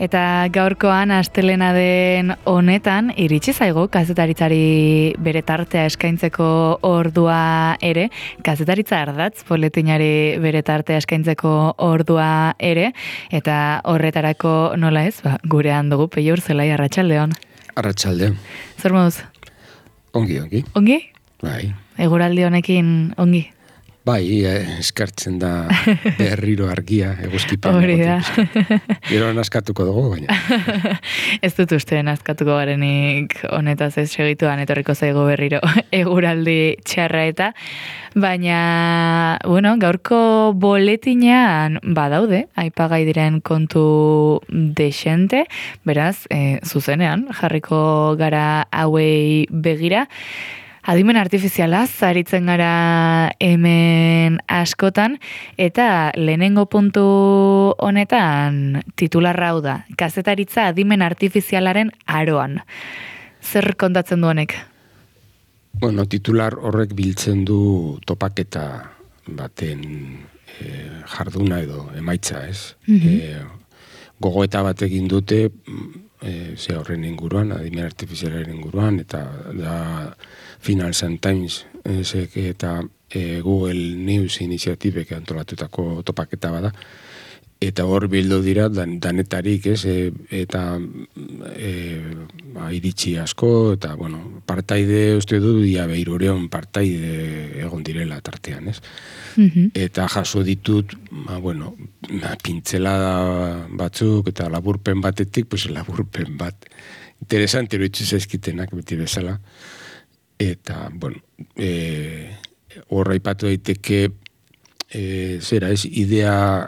Eta gaurkoan astelena den honetan iritsi zaigu kazetaritzari bere tartea eskaintzeko ordua ere, kazetaritza ardatz boletinari bere tartea eskaintzeko ordua ere, eta horretarako nola ez, gurean dugu Peio Urzelai, arratsaldeon. Arratsalde. Zer moduz? Ongi. Ongi? Bai. Eguraldi honekin ongi? Bai, eskartzen da berriro argia, eguzkipen. Hori da. Gero naskatuko dugu, baina. Ez dut uste naskatuko garenik honetaz ez segituan etorriko zaigu berriro eguraldi txarra eta, baina, bueno, gaurko boletinean badaude, aipagai diren kontu desente, beraz, zuzenean, jarriko gara hauei begira. Adimen artifizialaz aritzen gara hemen askotan, eta lehenengo puntu honetan titularra hau da, kazetaritza adimen artifizialaren aroan. Zer kontatzen du honek? Bueno, titular horrek biltzen du topaketa baten jarduna edo emaitza, ez? Gogoeta bat egin dute, ze horren inguruan, adimen artifizialaren inguruan, eta da Financial Times eta Google News iniziatibek antolatutako topaketa bada, eta hor bildu dira danetarik, ez, eta iritsi asko, eta, bueno, partaide, uste du, ia behirureon partaide egon direla tartean, ez? Eta jaso ditut, bueno, pintzelada batzuk, eta laburpen batetik, pues laburpen bat, interesante eroitzu zaizkitenak beti bezala, eta, bueno, horra ipatu daiteke, zera ez, idea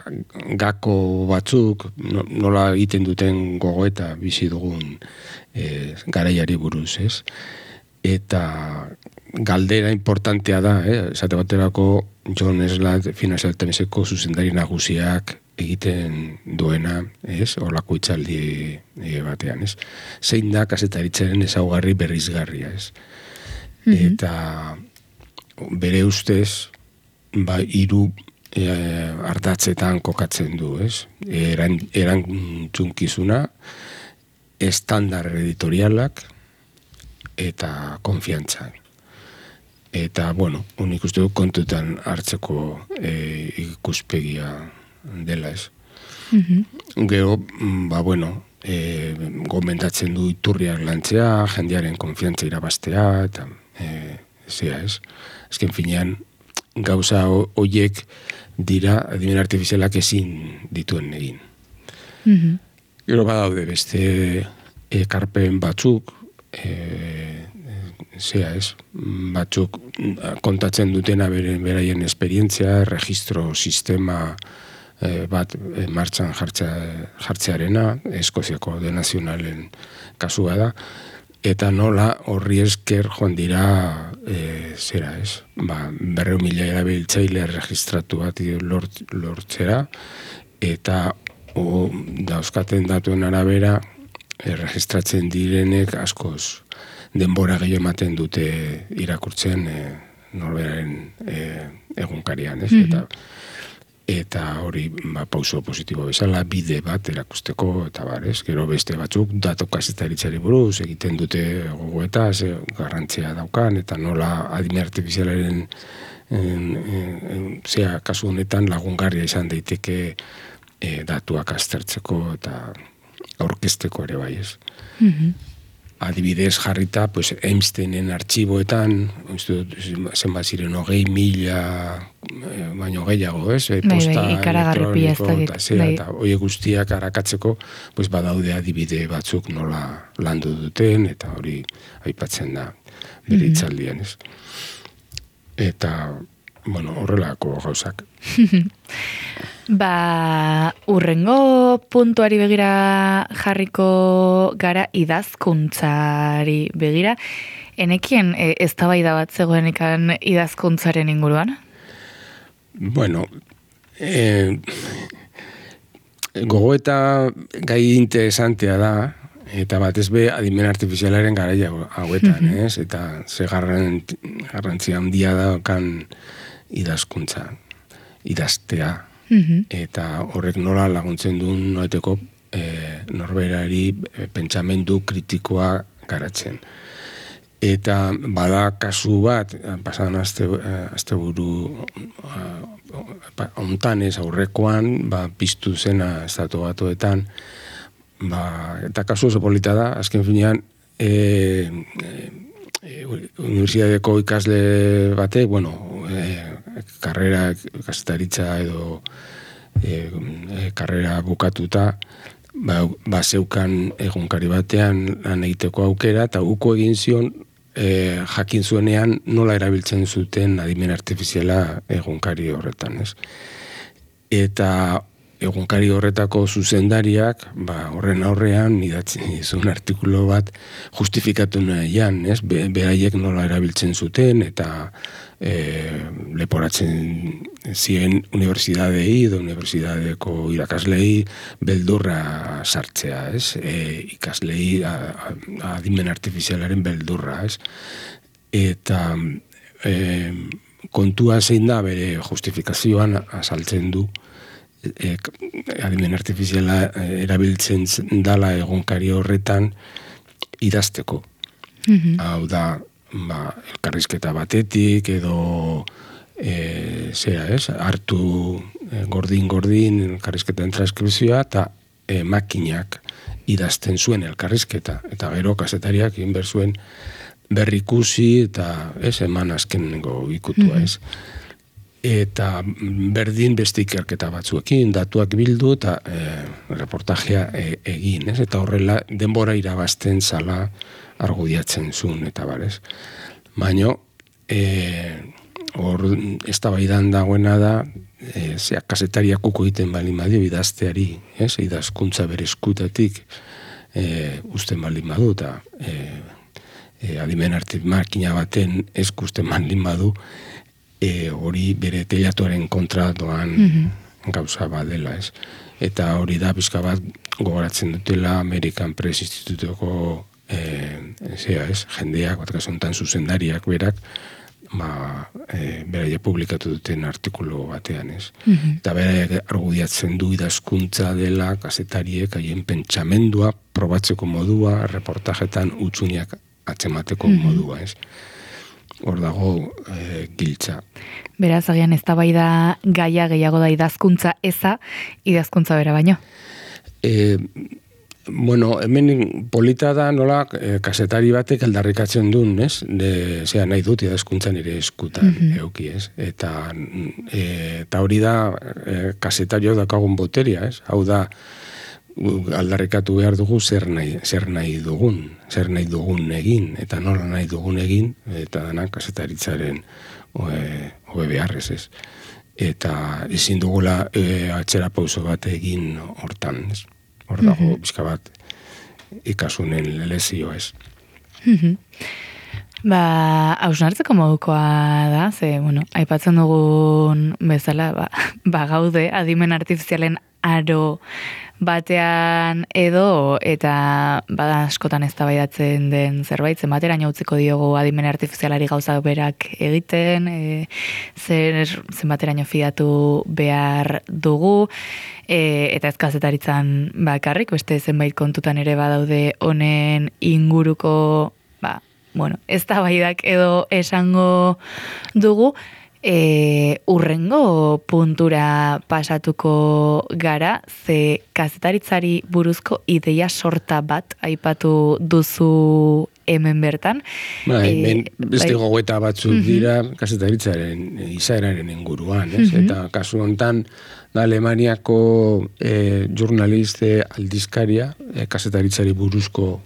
gako batzuk, nola egiten duten gogoeta bizi dugun garaiari buruz, ez? Eta galdera importantea da, esate baterako John Eslat Financial Timeseko zuzendari nagusiak egiten duena, ez? Horlako hitzaldi batean, ez? Zein da kazetaritzaren ezaugarri berrizgarria, ez? Eta bere ustez, hiru ardatzetan kokatzen du, ez? Erantzunkizuna, estandar editorialak eta konfiantza. Eta, bueno, unik uste du kontutan hartzeko ikuspegia dela, ez? Gero, bueno, gomendatzen du iturriak lantzea, jendearen konfiantza irabaztea, eta zera, ez? Ezken finean, gauza horiek dira adimen artifizialak ezin dituen egin. Gero badaude beste ekarpen batzuk, zera, ez? Batzuk kontatzen dutena beraien esperientzia, registro sistema bat martxan jartzearena, Eskoziako de Nazionalen kasua da, eta nola horri esker joan dira, zera ez, 200.000 erabiltzaile registratu bat lortzera, eta dauzkaten datuen arabera, registratzen direnek askoz denbora gehiago ematen dute irakurtzen norberaren egunkarian, ez? Eta hori pauso positibo bezala, bide bat erakusteko, eta barez, gero beste batzuk datu kazetaritzari buruz egiten dute gogoeta, garrantzia daukan, eta nola adimen artifizialaren kasu honetan lagungarria izan daiteke datuak aztertzeko eta aurkezteko ere bai, ez. Adibidez jarrita, pues, Einsteinen artxiboetan, zenbat ziren 20.000 baino gehiago, ez? Posta elektroniko, eta hori guztiak arakatzeko, pues, badaude adibide batzuk nola landu duten, eta hori aipatzen da bere hitzaldian, ez? Eta, bueno, horrelako gauzak. Urrengo puntuari begira jarriko gara idazkuntzari begira. Enekien eztabaida bat zegoenekan idazkuntzaren inguruan? Bueno, gogoeta gai interesantea da, eta batez be adimen artifizialaren garaia hauetan, ez? Eta ze garrantzia handia daukan idazkuntza, idaztea, eta horrek nola laguntzen duen noeteko norberari pentsamendu kritikoa garatzen. Eta bada kasu bat, pasadan asteburu hontan ez aurrekoan, piztu zena Estatu Batuetan, eta kasu oso polita da, azken finean, universitateko ikasle bate, karrera kasetaritza edo karrera bukatuta, zeukan egunkari batean lan egiteko aukera, eta uko egin zion, jakin zuenean nola erabiltzen zuten adimen artifiziala egunkari horretan, ez? Eta egunkari horretako zuzendariak, horren aurrean idatzi zuen artikulu bat justifikatu nahian, ez? Beraiek nola erabiltzen zuten eta leporatzen ziren unibertsitatei edo unibertsitateko irakaslei beldurra sartzea, ez? Ikaslei adimen artifizialaren beldurra, ez? Eta kontua zein da bere justifikazioan azaltzen du adimen artifiziala erabiltzen dala egunkari horretan idazteko. Hau da, elkarrizketa batetik edo hartu gordin elkarrizketen transkripzioa eta makinak idazten zuen elkarrizketa. Eta gero kazetariak inber zuen berrikusi eta eman azkenengo ikutua, ez? Eta berdin beste ikerketa batzuekin, datuak bildu eta reportajea egin, ez? Eta horrela denbora irabazten zala argudiatzen zuen, eta barez. Baina, hor eztabaidan dagoena da, kazetariak uko egiten baldin badio idazteari, ez? Idazkuntza bere eskutatik usten baldin badu, eta adimen makina baten eskusten baldin badu, hori bere teilatuaren kontra doan gauza badela, ez? Eta hori da, pixka bat, gogoratzen dutela American Press Instituteko jendeak, bat kasuntan zuzendariak berak, beraia publikatu duten artikulu batean, ez? Eta beraia argudiatzen du idazkuntza dela kazetariek haien pentsamendua, probatzeko modua, reportajetan utxuniak atzemateko modua, ez? Hor dago giltza. Beraz, agian eztabaida gaia gehiago da idazkuntza eza, idazkuntza bera baino. Hemen polita da nola kazetari batek aldarrikatzen duen, ez? Nahi dut idazkuntzan ere eskutan euki, ez? Eta hori da kazetariok dakagun boteria, ez? Hau da, aldarrikatu behar dugu zer nahi dugun egin, eta nola nahi dugun egin, eta dana kazetaritzaren hobe beharrez, ez? Eta ezin dugula atzera pauso bat egin hortan, ez? Hor dago, bizka bat, ikasunen lezio, ez? Hausnartzeko modukoa da, aipatzen dugun bezala, gaude, adimen artifizialen aro batean edo, eta bada askotan eztabaidatzen den zerbait, zenbateraino utziko diogu adimen artifizialari gauzak berak egiten, zenbateraino fidatu behar dugu, eta ez kazetaritzan bakarrik, beste zenbait kontutan ere badaude honen inguruko, eztabaidak edo esango dugu, urrengo puntura pasatuko gara, ze kazetaritzari buruzko ideia sorta bat aipatu duzu hemen bertan. Beste gogoeta batzuk dira kazetaritzaren izaeraren inguruan, ez? Eta kasu honetan, Alemaniako jurnaliste aldizkaria, kazetaritzari buruzko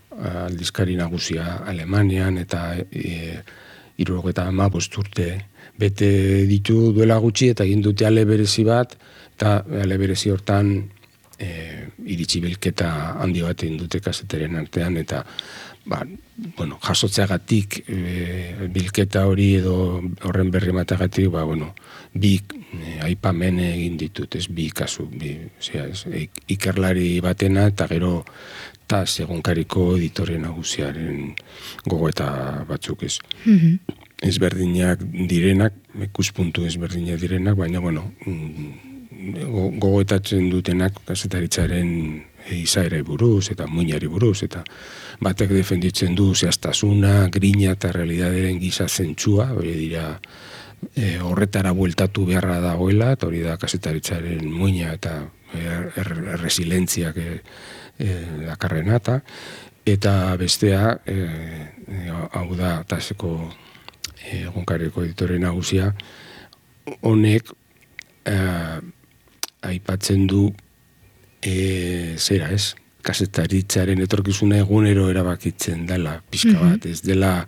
aldizkari nagusia Alemanian, eta 75 urte bete ditu duela gutxi, eta egin dute ale berezi bat, eta ale berezi hortan iritsi bilketa handi bat egin dute kazetaren artean, eta jasotzeagatik bilketa hori edo horren berri matagatik, bi aipamen egin ditut, ez, bi kasu, ikerlari batena, eta gero TAS egunkariko editore nagusiaren gogoeta batzuk, ez. Ezberdinak direnak, ikuspuntu ezberdinak direnak, baina, gogoetatzen dutenak kazetaritzaren izaera buruz, eta muinari buruz, eta batek defenditzen du zehaztasuna, grina eta realidaderen giza zentsua, hori dira horretara bueltatu beharra dagoela, eta hori da kazetaritzaren muina eta resilentziak dakarrena, eta bestea, hau da, taseko egunkariko editore nagusia, honek aipatzen du zera ez, kazetaritzaren etorkizuna egunero erabakitzen dela, pixka bat, ez dela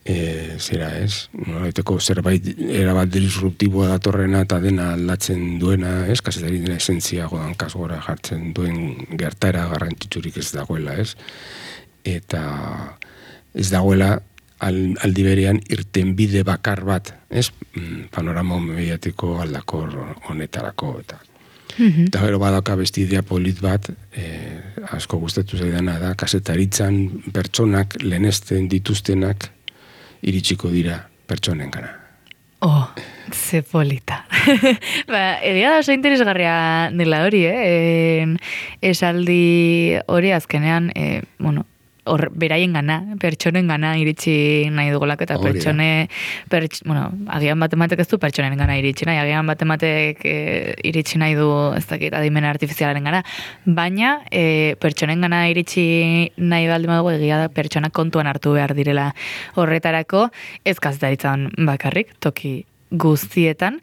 zera ez, nolaiteko zerbait erabat disruptiboa datorrena eta dena aldatzen duena, ez, kazetaritzen esentzia hankaz gora jartzen duen gertaera garrantzitsurik ez dagoela, ez, eta ez dagoela aldi berean irtenbide bakar bat, ez, panorama mediatiko aldakor honetarako, eta gero badauka beste idea polit bat, asko gustatu zaidana da, kazetaritzan pertsonak lehenesten dituztenak iritsiko dira pertsonen gana. Oh, ze polita. Egia da oso interesgarria dela hori, esaldi hori azkenean, beraien gana, pertsonen gana iritsi nahi dugulak, eta agian batematek ez du pertsonen gana iritsi nahi, agian batematek iritsi nahi du, ez dakit, adimen artifizialaren gana, baina pertsonen gana iritsi nahi baldin badugu, egia da pertsona kontuan hartu behar direla horretarako, ez kazetaritzan bakarrik, toki guztietan,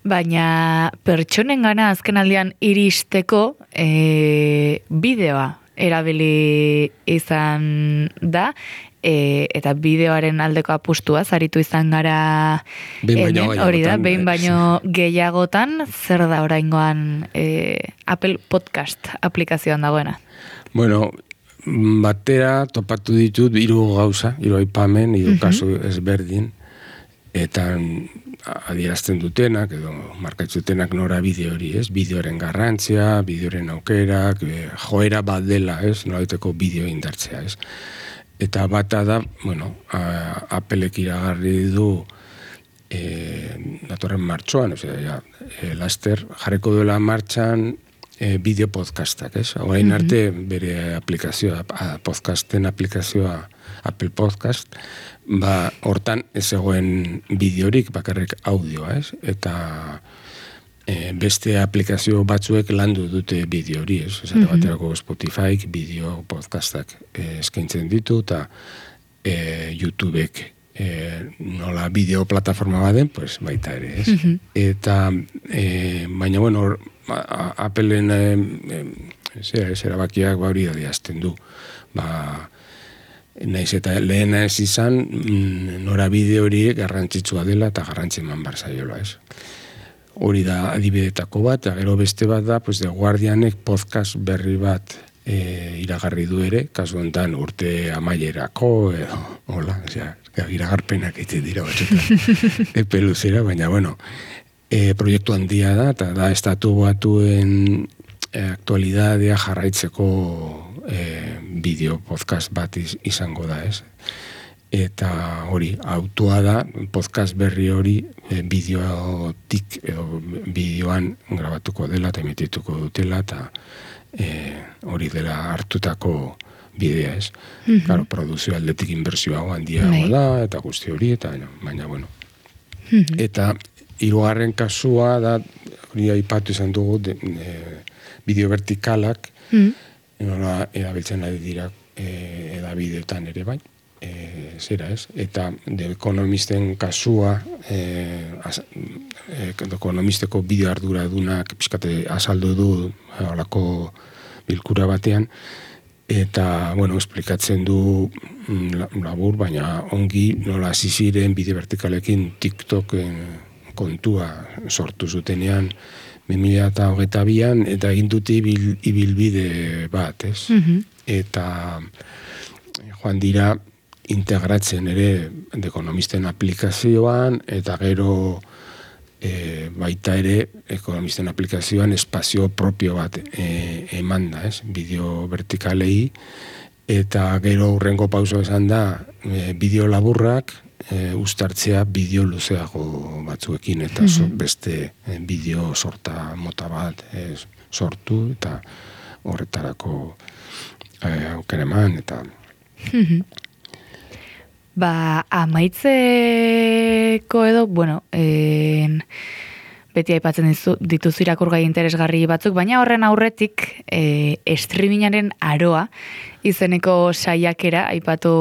baina pertsonen gana azken aldian iristeko bideoa erabili izan da, eta bideoaren aldeko apustua zaritu izan gara hori da, behin baino gehiagotan, zer da oraingoan Apple Podcast aplikazioan dagoena? Bueno, batera topatu ditut 3 gauza, 3 aipamen, 3 kasu ezberdin, eta adierazten dutenak, edo markatzutenak nora bideo hori, ez? Bideoren garrantzia, bideoren aukerak, joera bat dela, ez? Nolaiteko bideo indartzea, ez? Eta bata da, Applek iragarri du datorren martxoan, laster jarriko duela martxan bideo podcastak, ez? Orain arte bere aplikazioa, podcasten aplikazioa Apple Podcast, hortan ez zegoen bideorik, bakarrik audioa, ez? Eta beste aplikazio batzuek landu dute bideo hori, ez? Esate baterako Spotifyk bideo podcastak eskaintzen ditu, eta YouTubek nola bideo plataforma baden, pues baita ere, ez? Eta, baina, Appleen erabakiak hori adierazten du, naiz eta lehena ez izan, norabide hori garrantzitsua dela eta garrantzi eman bar zaiola, ez. Hori da adibidetako bat, eta gero beste bat da, The Guardianek podcast berri bat iragarri du ere, kasu honetan urte amaierako, hola, iragarpenak egiten dira batzutan, epe luzera, baina, proiektu handia da, eta da estatu batuen aktualidadea jarraitzeko bideo podcast bat izango da, ez? Eta hori, autua da, podcast berri hori bideotik edo bideoan grabatuko dela eta emitituko dutela, eta hori dela hartutako bidea, ez? Claro, produzio aldetik inbertsioa handiago da, eta guzti hori, eta baina, Eta 3. kasua da, hori aipatu izan dugu, bideo vertikalak, nola erabiltzen ari dira edabideetan ere bai, zera ez, eta The Economisten kasua, ekonomisteko bideo arduradunak pixkate azaldu du holako bilkura batean, eta, esplikatzen du labur, baina ongi nola hasi ziren bideo vertikalekin TikTok kontua sortu zutenean 2022an, eta egin dute ibilbide bat, ez? Eta joan dira integratzen ere The Economisten aplikazioan, eta gero baita ere Economisten aplikazioan espazio propio bat eman da, ez? Bideo vertikalei, eta gero hurrengo pauso esan da bideo laburrak uztartzea bideo luzeago batzuekin, eta beste bideo sorta mota bat sortu, eta horretarako aukera eman, eta... Amaitzeko edo, beti aipatzen dituzu irakurgai interesgarri batzuk, baina horren aurretik streamingaren aroa izeneko saiakera aipatu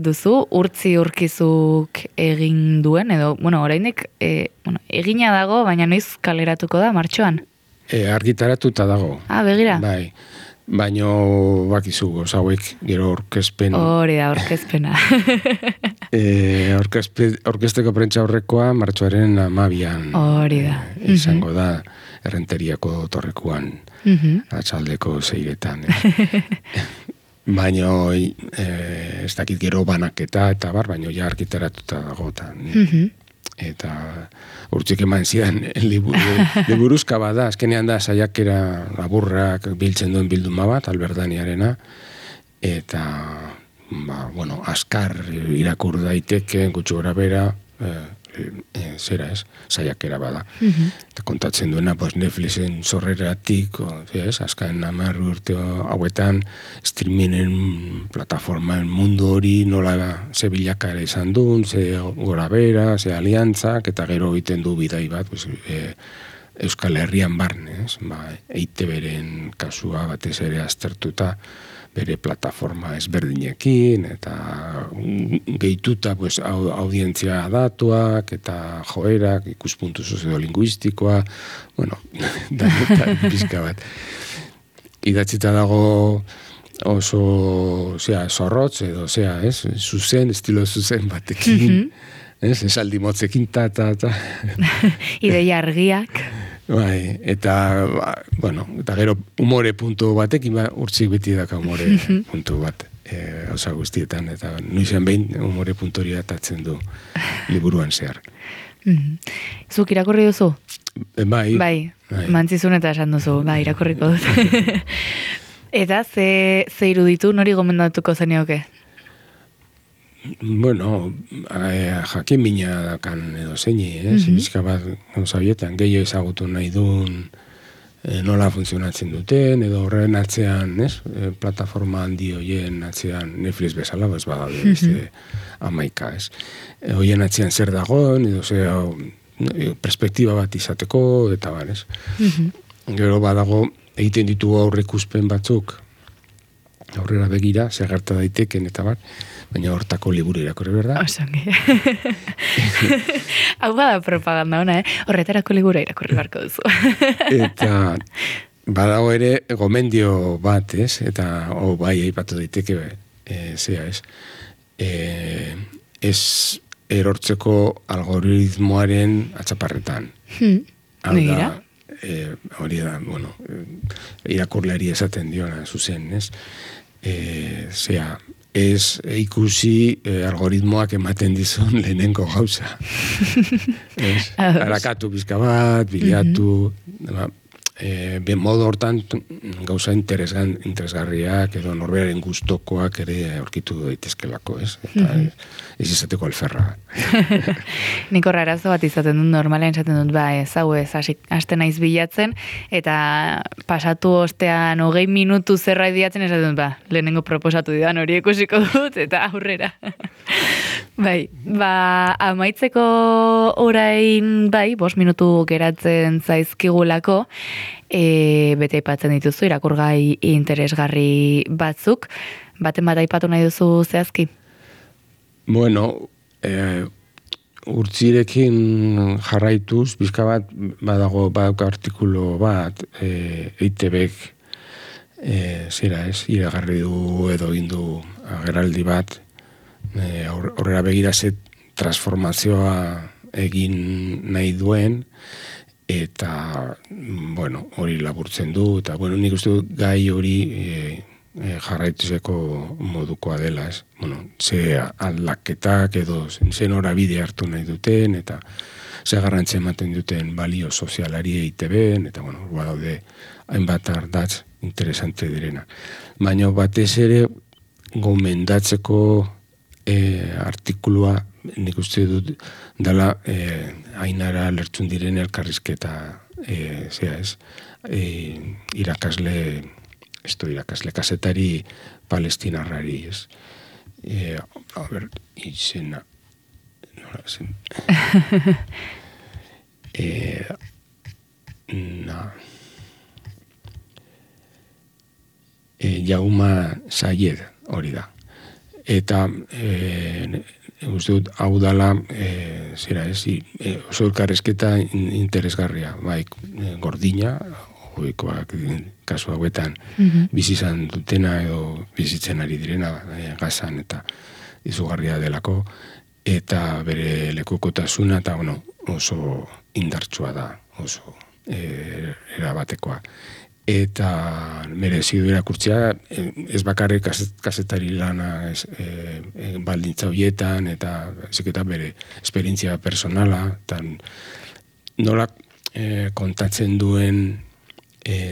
duzu, urtzi urkizuk egin duen, edo, oraindik egina dago, baina noiz kaleratuko da, martxoan? Argitaratuta dago. Begira. Bai. Baino bakizu hauek gero orkezpen... Hori da, orkezpena. Orkesteko prentza horrekoa martxoaren 12an. Hori da. Izango da Errenteriako torrekuan, atxaldeko 6etan. Baino ez dakit gero banaketa eta baino ja argitaratuta dagotan. Eta urtsik eman zidan liburuzka bada, azkenean da saiakera laburrak biltzen duen bilduma bat, Alberdaniarena, eta askar irakur daiteke, gutxi gora bera, saiakera bada. Eta kontatzen duena, Netflixen sorreratik, azkaen 10 urte hauetan, streamingen plataforman mundu hori nola ze bilakara izan duen, ze gora bera, ze aliantzak, eta gero egiten du bidai bat, Euskal Herrian barne, EITB-ren kasua batez ere aztertuta, bere plataforma ezberdinekin, eta gehituta audientzia datuak, eta joerak, ikuspuntu soziolinguistikoa, da pizka bat. Idatzita dago oso zorrotz, edo zuzen, estilo zuzen batekin, esaldi motzekin, ta. Ideia argiak. Bai, eta gero umore puntu batekin, urtsik beti daka umore puntu bat, osa guztietan, eta nuizan behin umore puntu hori atatzen du liburuan zehar. Zuk irakurri duzu? Bai. Mantzizun eta esan duzu, irakurriko dut. Eta ze iruditu, nori gomendatuko zenioke? Jakin mina dakan edo zeini, bizka bat gauzabietan, gehiago ezagutu nahi duen nola funtzionatzen duten, edo horren atzean, plataforma handi hoien atzean, Netflix bezala, badaude, 11, hoien atzean zer dagoen, edo perspektiba bat izateko, eta barez. Gero badago, egiten ditugu aurreikuspen batzuk, aurrera begira, zer gerta daiteken, eta bar, baina hortako liburu irakurri, berda? Osongi. Hau bada propaganda ona, horretarako liburu irakurri barko duzu. Eta badago ere gomendio bat, eta aipatu daiteke, ez erortzeko algoritmoaren atzaparretan. Begira? Hori da, irakurleari esaten diona, zuzen, ez ikusi algoritmoak ematen dizun lehenengo gauza. Harakatu bizka bat, bilatu, modu hortan gauza interesgarriak edo norberaren gustokoak ere aurkitu daitezkelako, eta ez izateko alferra. Nik horra arazo bat izaten dut, normalen esaten dut, haste naiz bilatzen, eta pasatu ostean 20 minutu zerbait bilatzen esaten dut, lehenengo proposatu didan hori ikusiko dut, eta aurrera. Amaitzeko orain, 5 minutu geratzen zaizkigulako, bete aipatzen dituzu, irakurgai interesgarri batzuk, baten bat aipatu nahi duzu zehazki? Urtzirekin jarraituz, bizka bat, badauka artikulu bat, EITB-ek, iragarri du edo indu agerraldi bat, horrela begira ze transformazioa egin nahi duen, eta, hori laburtzen du, eta, nik uste dut gai hori jarraituzeko modukoa dela, ze aldaketak edo ze norabide hartu nahi duten, eta ze garrantzia ematen duten balio sozialari EITB-en, eta, badaude hainbat ardatz interesante direna. Baina batez ere gomendatzeko artikulua nik uste dut dela Ainara lertzun diren elkarrizketa irakasle irakasle kazetari palestinarrari, ez. Izena, nola zen. Jauma Sayed hori da. Eta uste dut hau dala oso elkarrezketa interesgarria, bai gordina, hoikoak kasu hauetan bizi izan dutena edo bizitzen ari direna Gazan eta izugarria delako, eta bere lekukotasuna eta oso indartsua da, oso erabatekoa. Eta merezi du irakurtzea, ez bakarrik kazetari lana baldintza horietan, eta bere esperientzia personala, eta nola kontatzen duen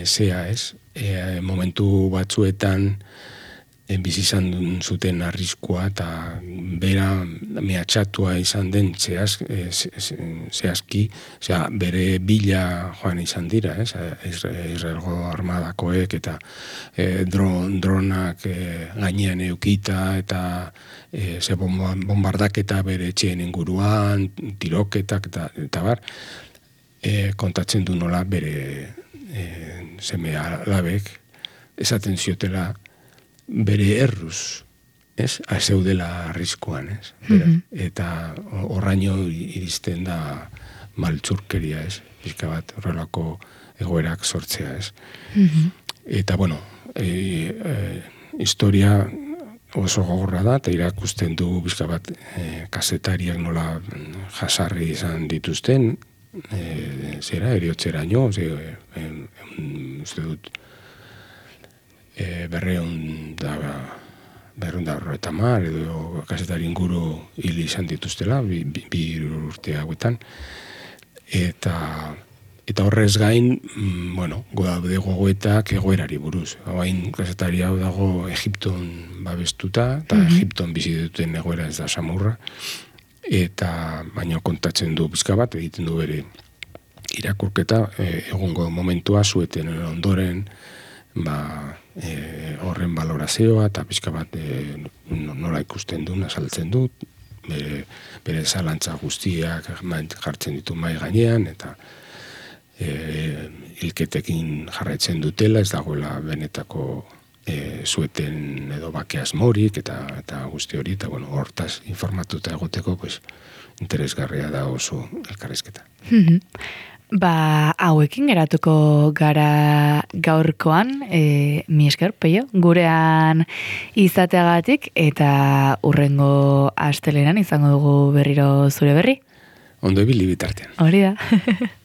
zea, ez? Momentu batzuetan bizi izan zuten arriskua eta bera mehatxatua izan den zehazki, bere bila joan izan dira, Israelgo armadakoek eta dronak gainean eukita eta bombardaketa bere etxeen inguruan, tiroketak eta bar, kontatzen du nola bere seme alabek esaten ziotela bere erruz, zeudela arriskuan, eta horraino iristen da maltzurkeria, pixka bat horrelako egoerak sortzea, Eta, historia oso gogorra da, eta irakusten du pixka bat kazetariak nola jasarri izan dituzten, eriotzeraino, uste dut, berreun da horretamar, edo kazetari inguru hil izan dituztela, bi urte hauetan, eta horrez gain, daude gogoetak egoerari buruz. Hain kazetari hau dago Egipton babestuta, eta Egipton bizi duten egoera ez da samurra, eta baina kontatzen du pizka bat, egiten du bere irakurketa, egungo momentua zueten ondoren, horren valorazioa eta pixka bat nola ikusten du, azaltzen dut, bere zalantza guztiak jartzen ditu mai gainean, eta hilketekin jarraitzen dutela, ez dagoela benetako zueten edo bake asmorik eta guzti hori, eta hortaz informatuta egoteko interesgarria da oso elkarrizketa. Hauekin geratuko gara gaurkoan, mi esker, Peio, gurean izateagatik, eta hurrengo astelenan izango dugu berriro zure berri. Ondo ibili bitartean. Hori da.